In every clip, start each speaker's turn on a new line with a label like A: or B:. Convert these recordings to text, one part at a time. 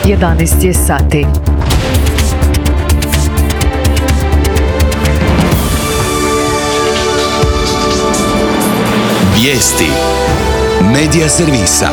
A: 11 je sati.
B: Vijesti Medija servisa.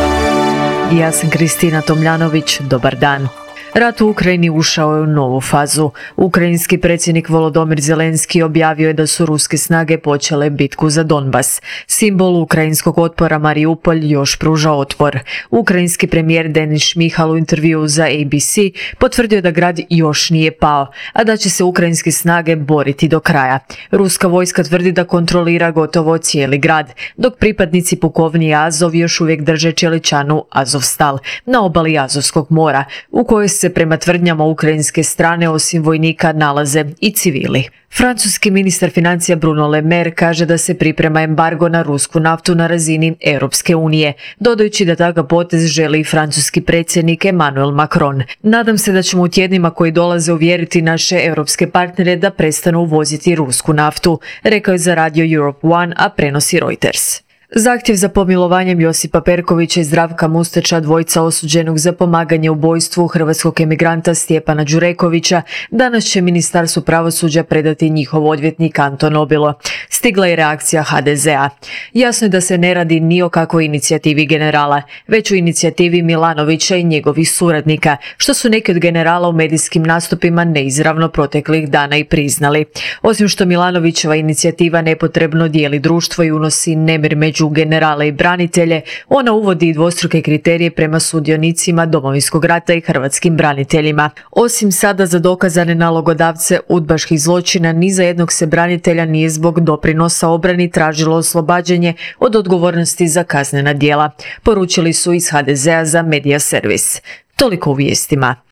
A: Ja sam Kristina Tomljanović, dobar dan. Rat u Ukrajini ušao je u novu fazu. Ukrajinski predsjednik Volodymyr Zelenski objavio je da su ruske snage počele bitku za Donbas. Simbol ukrajinskog otpora Mariupolj još pruža otpor. Ukrajinski premijer Denis Šmihal u intervjuu za ABC potvrdio da grad još nije pao, a da će se ukrajinske snage boriti do kraja. Ruska vojska tvrdi da kontrolira gotovo cijeli grad, dok pripadnici pukovnije Azov još uvijek drže čeličanu Azovstal na obali Azovskog mora, u kojoj se prema tvrdnjama ukrajinske strane osim vojnika nalaze i civili. Francuski ministar financija Bruno Le Maire kaže da se priprema embargo na rusku naftu na razini Europske unije, dodajući da takav potez želi i francuski predsjednik Emmanuel Macron. Nadam se da ćemo u tjednima koji dolaze uvjeriti naše europske partnere da prestanu uvoziti rusku naftu, rekao je za radio Europe One, a prenosi Reuters. Zahtjev za pomilovanjem Josipa Perkovića i Zdravka Mustača, dvojica osuđenog za pomaganje ubojstvu hrvatskog emigranta Stjepana Đurekovića, danas će Ministarstvu pravosuđa predati njihov odvjetnik Anton Obilo. Stigla je reakcija HDZ-a. Jasno je da se ne radi ni o kakvoj inicijativi generala, već u inicijativi Milanovića i njegovih suradnika, što su neki od generala u medijskim nastupima neizravno proteklih dana i priznali. Osim što Milanovićeva inicijativa nepotrebno dijeli društvo i unosi nemir među generale i branitelje, ona uvodi i dvostruke kriterije prema sudionicima Domovinskog rata i hrvatskim braniteljima. Osim sada za dokazane nalogodavce udbaških zločina, ni za jednog se branitelja nije zbog doprinosa obrani tražilo oslobađanje od odgovornosti za kaznena djela, poručili su iz HDZ-a za Medija servis. Toliko u vijestima.